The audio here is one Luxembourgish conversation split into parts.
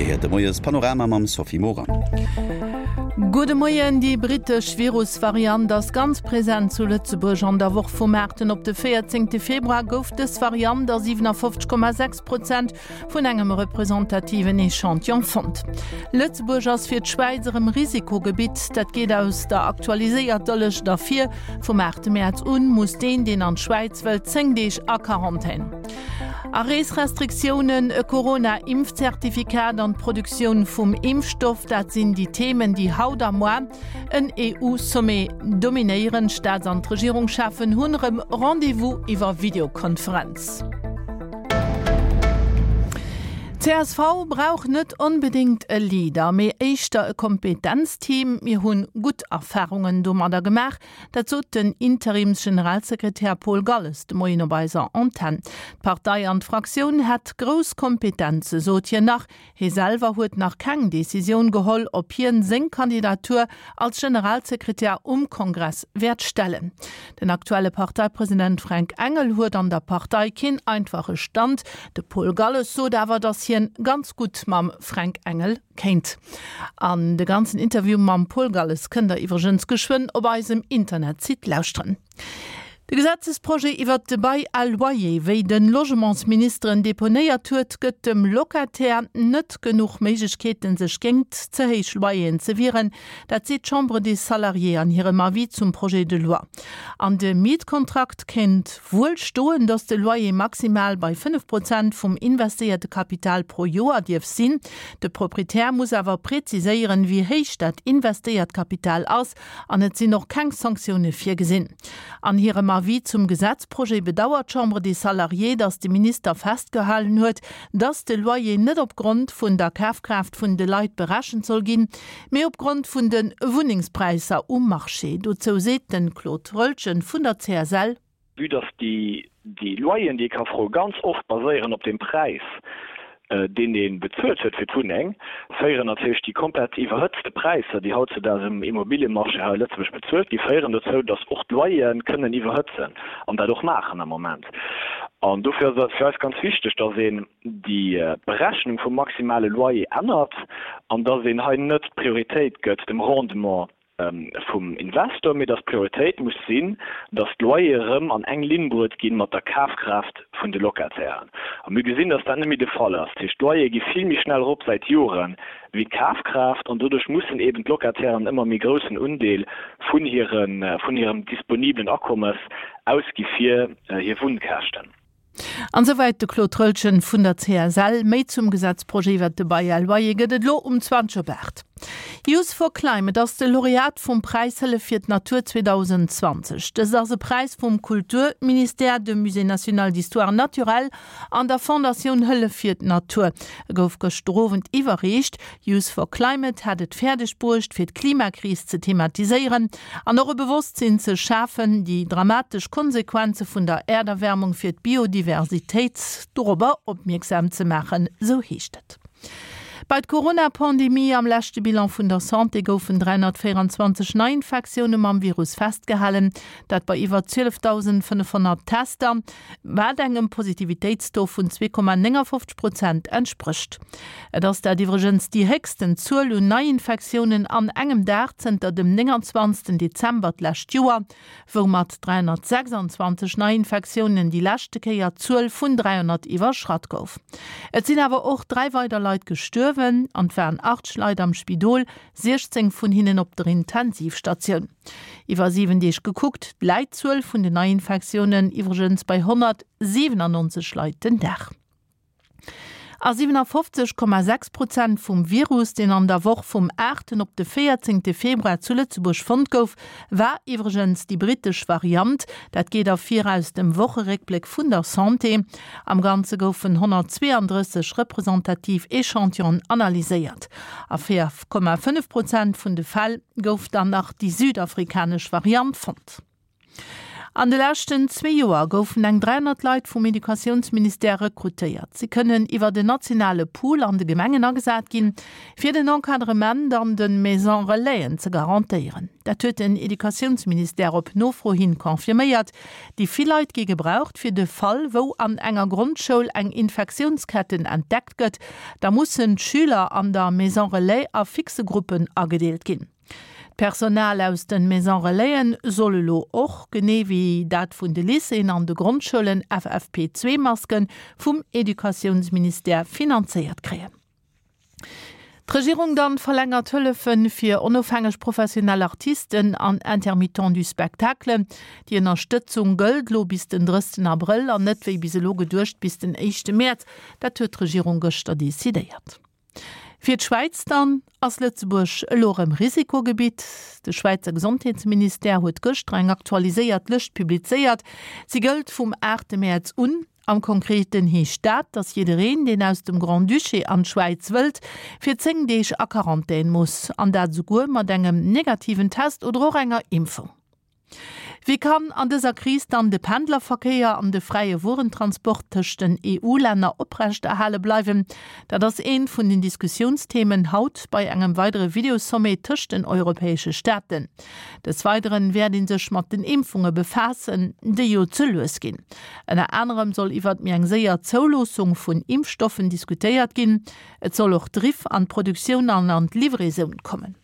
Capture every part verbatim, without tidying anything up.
Dir héiert de Moiespanorama mam Sophie Morang. Gudde Moien, Déi brittesch Virusvariant ass ganz present zu Lëtzebuerg. An der Woch vum aachten op de véierzéngte Februar gouf dës Variant a siwenafofzeg Komma sechs Prozent vun engem representativen Echantillon fonnt. Lëtzebuerg ass fir d'Schwäiz erëm Risikogebitt. Dat geet aus der aktualiséierter Lëscht ervir. Vum aachte Mäerz un muss deen, deen an d'Schwäiz wëllt, zéng Deeg a Quarantän. Areesrestriktiounen, e Corona-Impfzertifikat an d'Produktioun vum Impfstoff, dat sinn déi Themen, déi haut a moar en EU-Sommet dominéieren. D'Staats an d'Regierungscheffen hunn erëm Rendez-vous iwwer Videokonferenz. Csv brauch net onbedéngt e Leader, mee éischter e Kompetenzteam. Mir hunn gutt Erfarungen domadder gemaach. Dat sot den Interims-Generalsekretär Paul Galles de Moien op eiser Antenn. D'Partei an d'Fraktioun hätt grouss Kompetenze, sot hien nach. Hie selwer huet nach keng Decisioun geholl, ob hien seng Kandidatur als Generalsekretär um Kongress wäert stellen. Den aktuelle Parteipresident Fränk Engel huet an der Partei keen einfache Stand. De Paul Galles sot awer, datt hien ganz gutt mam Fränk Engel kéint. An de ganzen Interview mam Paul Galles kënnt der iwwregens geschwënn op eisem Internetsite lauschteren. De Gesetzesprojet iwwert de Bail à loyer, wéi de Logementsminister en deponéiert huet, gëtt dem Locataire net genuch Méiglechkeeten, sech géingt ze héich Loyeren ze wieren. Dat seet d'Chambre des Salariés an hirem Avis zum Projet de loi. An dem Mietkontrakt kéint wuel stoen, datt de Loyer maximal bei fënnef Prozent vum investéierte Kapital pro Joer dierf sinn. De Proprietär muss awer preziséieren, wéi héich dat investéiert Kapital ass an et sinn och keng Sanktioune virgesinn. An hirem Avis zum Gesetzprojet bedauert d'Chambre des Salariés, datt de Minister festgehalen huet, datt de Loyer net op Grond vun der Kafkraaft vun de Leit berechent soll ginn, mee op Grond vun de Wunnengspräisser um Marché. Dozou seet de Claude Roeltgen vun der C S L. Vue dass déi Loyeren, déi ee ka froen, ganz oft baséieren op dem Präis, deen ee bezuelt huet fir d'Wunneng, féieren natierlech déi komplett iwwerhëtzte Präisser, déi hautzedaags um Immobiliemarché hei a Lëtzebuerg bezuelt ginn, féieren dozou, dass och d'Loyere kënnen iwwerhëtzen an dat och maachen am Moment. An dofir ass et fir eis ganz wichteg, dass een déi Berechnung vum maximale Loyer ännert an dass een hei net d'Prioritéit gëtt dem Rendement vum Investor, mee dass d'Prioritéit muss sinn, dass d'Loyere erëm an eng Linn bruet gi mat der Kafkraaft vun de Locatairen. A mir gesinn, dass dat net méi de Fall ass. Dat heescht, d'Loyere gi vill méi schnell erop säit Joren wéi d'Kafkraaft an doduerch mussen eeben d'Locatairen ëmmer méi groussen Undeel vun hirem disponiblen Akommes ausgi fir hir Wunnkäschten. An esouwäit de Claude Roeltgen vun der C S L. Méi zum Gesetzprojet iwwert de Bail à loyer gëtt et elo um zwanzeg op aacht. Youth for Climate ass de Laureat vum Präis Hëllef fir d'Natur zweedausenzwanzeg. Dëst ass e Präis vum Kulturministère, dem Musée national d'histoire naturelle an der Fondatioun Hëllef fir d'Natur. E gouf gëschter Owend iwwerreecht. Youth for Climate hat et fäerdeg bruecht, fir d'Klimakris ze thematiséieren an och e Bewosstsinn ze schafen, déi dramatesch Konsequenze vun der Äerderwärmung fir d'Biodiversitéit dorobber opmierksam ze maachen, sou heescht et. Bei d'Corona-Pandemie, Am leschte Bilan vun der Santé goufen dräihonnertvéierenzwanzeg Neiinfektioune mam Virus festgehalen, dat bei iwwer zwielefdausendfënnefhonnert Tester, wat engem Positivitéitstaux vun zwee Komma néngafofzeg Prozent entsprécht. Et ass dat iwwregens déi héchsten Zuel un Neiinfektiounen an engem Dag zënter dem nénganzwanzegsten Dezember d'lescht Joer, wou mat dräihonnertsechsanzwanzeg Neiinfektiounen déi leschte Kéier d'Zuel vun dräihonnert iwwerschratt gouf. Et sinn awer och dräi weider Leit gestuerwen an et waren achtzeg Leit am Spidol, siechzéng vun hinnen op der Intensivstatioun. Iwwer siwen Deeg gekuckt läit d'Zuel vun den Neiinfektiounen iwwregens bei honnertsiwenannonzeg Leit den Dag. A siwenafofzeg Komma sechs Prozent vum Virus, deen an der Woch vum aachten op de véierzéngte Februar zu Lëtzebuerg fonnt gouf, war iwwregens déi brittesch Variant. Dat geet ervir aus dem Wocheréckbléck vun der Santé. Am Ganze goufen honnertzweeandrësseg representativ Echantillonen analyséiert. A véier Komma fënnef Prozent vun de Fäll gouf dann nach déi südafrikanesch Variant fonnt. An de leschten zwee Joer goufen eng dräihonnert Leit vum Educatiounsministère rekrutéiert. Si kënnen iwwer den nationale Pool an de Gemengen agesat ginn, fir den Encadrement an de Maison Relaisen ze garantéieren. Dat huet den Educatiounsministère op Nofro hin confirméiert. Déi vill Leit gi gebraucht fir de Fall, wou an enger Grondschoul eng Infektiounsketten entdeckt gëtt. Da mussen d'Schüler an der Maison Relais a fixe Gruppen agedeelt ginn. D'Personal aus de Maison Relaisen soll elo och, genee wéi dat vun de Lycéeën an de Grondschoulen, F F P zwee Masken vum Educatiounsministère finanzéiert kréien. D'Regierung dann verlängert Hëllefe fir onofhängeg professionell Artisten an Intermittents du spectacle. Déi Ënnerstëtzung gëllt elo bis den drëssten Abrëll an net wéi bis elo geduecht bis den éischte Mäerz. Dat huet d'Regierung gëschter decidéiert. Fir d'Schwäiz dann ass Lëtzebuerg elo erëm Risikogebitt. De Schwäizer Gesondheetsministère huet gëschter eng aktualiséiert Lëscht publizéiert. Si gëllt vum aachte Mäerz un. Am Konkreten heescht dat, datt jiddereen, deen aus dem Grand-Duché an d'Schwäiz wëllt, fir zéng Deeg a Quarantän muss. An dat esouguer mat engem negativen Test oder och enger Impfung. Wéi kann an dëser Kris dann de Pendlerverkéier an de fräie Wuerentransport tëscht den E U-Länner oprechterhale bleiwen? Dat ass eent vun den Diskussiounsthemen haut bei engem weidere Videosommet tëscht den europäesche Staaten. Des Weideren wäert ee sech mat den Impfunge befaassen, déi jo ze lues ginn. Ënner anerem soll iwwert méi eng séier Zouloossung vun Impfstoffen diskutéiert ginn. Et soll och Driff an d'Produktioun an an d'Livraison kommen.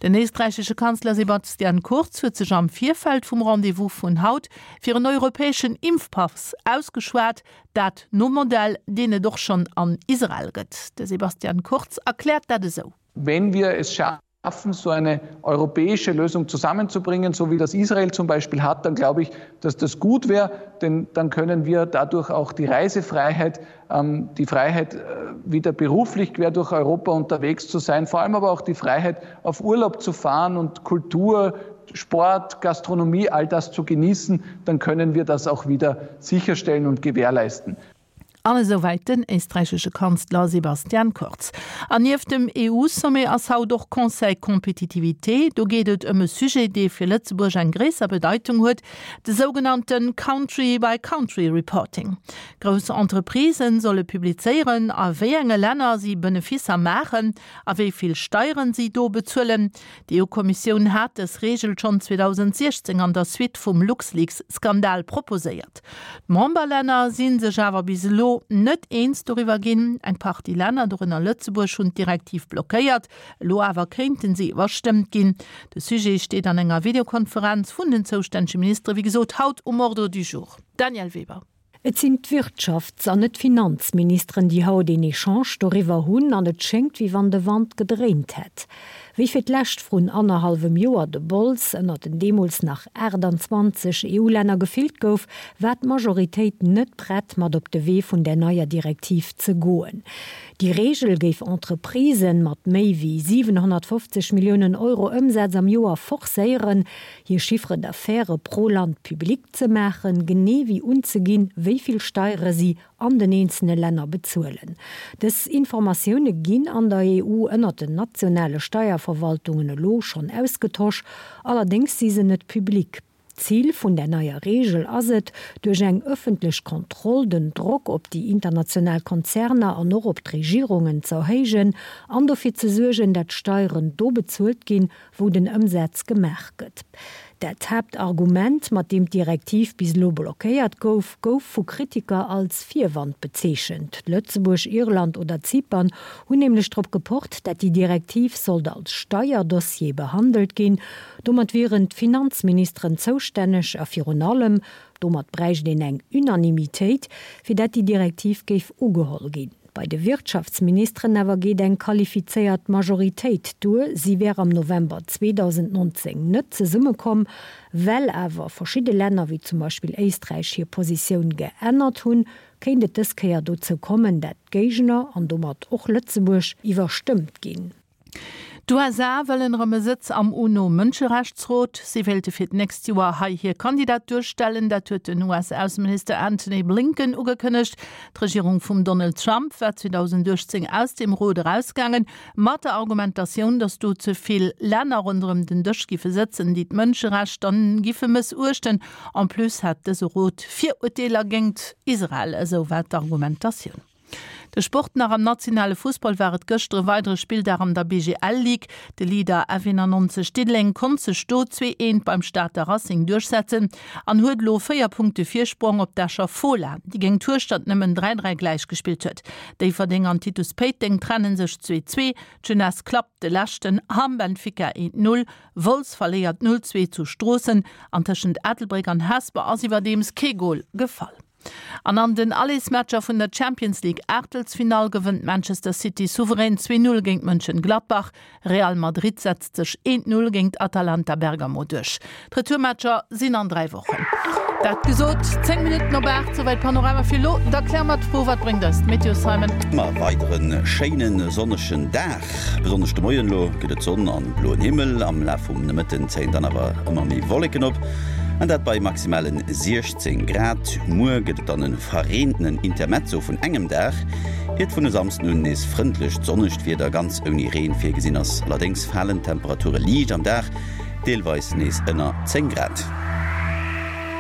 Den éisträichesche Kanzler Sebastian Kurz huet sech am Virfeld vum Rendez-vous vun haut fir en europäeschen Impfpass ausgeschwat, dat nom Modell, deen et och schonn an Israel gëtt. De Sebastian Kurz erkläert dat esou. Wenn wir es schaffen, so eine europäische Lösung zusammenzubringen, so wie das Israel zum Beispiel hat, dann glaube ich, dass das gut wäre, denn dann können wir dadurch auch die Reisefreiheit, ähm, die Freiheit, äh, wieder beruflich quer durch Europa unterwegs zu sein, vor allem aber auch die Freiheit, auf Urlaub zu fahren und Kultur, Sport, Gastronomie, all das zu genießen, dann können wir das auch wieder sicherstellen und gewährleisten. An esouwäit den éisträichesche Kanzler Sebastian Kurz. An nieft dem E U-Sommet ass haut och Conseil Compétitivité. Do geet et ëm e Sujet, dee fir Lëtzebuerg eng gréisser Bedeitung huet, de sougenannte Country-by-Country-Reporting. Grouss Entreprisen solle publizéieren, a wéi enge Länner si Beneficer maachen a wéi vill Steieren si do bezuelen. D'E U-Kommissioun hat dës Reegel schonn zweedausendsechzéng an der Suite vum LuxLeaks-Skandal proposéiert. D'Memberlänner si sech awer bis elo net eens doriwwer ginn. Eng Partie Länner, dorënner Lëtzebuerg, hunn d'Direktiv blockéiert. Elo awer kéinten si iwwerstëmmt ginn. De Sujet steet an enger Videokonferenz vun den zoustännege Ministere, wéi gesot, haut um Ordre du jour. Daniel Weber. Et sinn d'Wirtschafts- an net d'Finanzministeren, déi haut een Echange doriwwer hunn an et schéngt, wéi wann de Wand gedréint hätt. Wéi fir d'lescht vrun annerhallwem Joer de Bols ënner den deemools nach achtundzwanzeg E U-Länner gefillt gouf, war d'Majoritéit net prett, mat op de Wee vun der neier Direktiv ze goen. Déi Reegel géif Entreprisen mat méi wéi siewenhonnertfofzeg Milliounen Euro Ëmsaz am Joer forcéieren, hir Chiffre d'affaires pro Land public ze maachen, genee wéi unzeginn, wéi vill Steiere si an den einzelnen Länder bezuelen. Dës Informatioune ginn an der E U ënner den nationale Steierverwaltungen elo schonn ausgetosch, allerdéngs si se net publik. Ziel vun der neier Regel ass et, duerch eng ëffentlech Kontroll den Drock op déi international Konzerner an och op d'Regierungen ze erhéijen an dofir ze suergen, dat Steieren do bezuelt ginn, wou den Ëmsaz gemaach gëtt. Dat Hauptargument, mat dem d'Direktiv bis elo blockéiert gouf, gouf vu Kritiker als Virwand bezeechent. Lëtzebuerg, Irland oder Zypern hunn nämlech drop gepocht, dat déi Direktiv sollt als Steierdossier behandelt ginn. Domat wieren d'Finanzministeren zoustänneg a virun allem, domat bräicht een eng Unanimitéit, fir dat déi Direktiv géif ugeholl ginn. Bei de Wirtschaftsministeren awer geet eng qualifizéiert Majoritéit duer. Si wär am November zweedausendnonzéng net zesummekomm, well awer verschidde Länner wie zum Beispill Éisträich hir Positioun geännert hunn, kéint et dës Kéier dozou kommen, dat d'Géigner an domat och Lëtzebuerg iwwerstëmmt ginn. D'USA wëllen erëm e Sëtz am UNO-Mënscherechtsrot. Si wéilte fir d'nächst Joer hei hir Kandidatur stellen. Dat huet den US-Ausseminister Antony Blinken ugekënnegt. D'Regierung vum Donald Trump war zweedausendachtzéng aus deem Rot erausgaangen, mat der Argumentatioun, datt do ze vill Länner ronderëm den Dësch giffe sëtzen, déi d'Mënscherechter giffe mëssuechten. En plus hätt dëse Rot Virurteeler géingt Israel, esou war d'Argumentatioun. De Sport nach, Am nationale Fussball war et gëschter e weidere Spilldag an der B G L Ligue. De Leader F éienannonzeg Diddeleng konnt sech do zwee eent beim Stater Racing duerchsetzen an huet elo véier Punkte Virsprong op d'Escher Fola, déi géint Hueschtert nëmmen dräi dräi gläich gespillt huet. Déifferdeng an Titus Péiteng trenne sech zwee zwee, d'Jeunesse klappt de Leschten Hamm Benfica eent null, Wolz verléiert null zwee zu Stroossen an tëschent Ettelbréck an Hesper ass iwwerdeems kee Gol gefall. An an den Allesmatcher vun der Champions League Aachtelsfinall gewënnt Manchester City souverän zwee null géint Mönchengladbach. Real Madrid setzt sech eent null géint Atalanta Bergamo duerch. D'Retourmatcher sinn an dräi Wochen. Dat gesot, zéng Minutten op aacht, souwäit Panorama fir elo. Da kläre mer d'Fro, wat bréngt eis d'Meteo, Simon? Ma weidere schéine sonnegen Dag. Besonnesch de Moien elo gëtt et Sonn an bloen Himmel. Am Laf vum Nomëtten zéien dann awer ëmmer méi Wolleken op an dat bei maximalen siechzéng Grad. Muer gëtt et dann e verreentenen Intermezzo vun engem Dag, iert vun e Samsden un nees frëndlecht sonnegt Wieder ganz ouni Reen virgesinn ass. Allerdéngs falen d'Temperature liicht am Dag, deelweis nees ënner zéng Grad.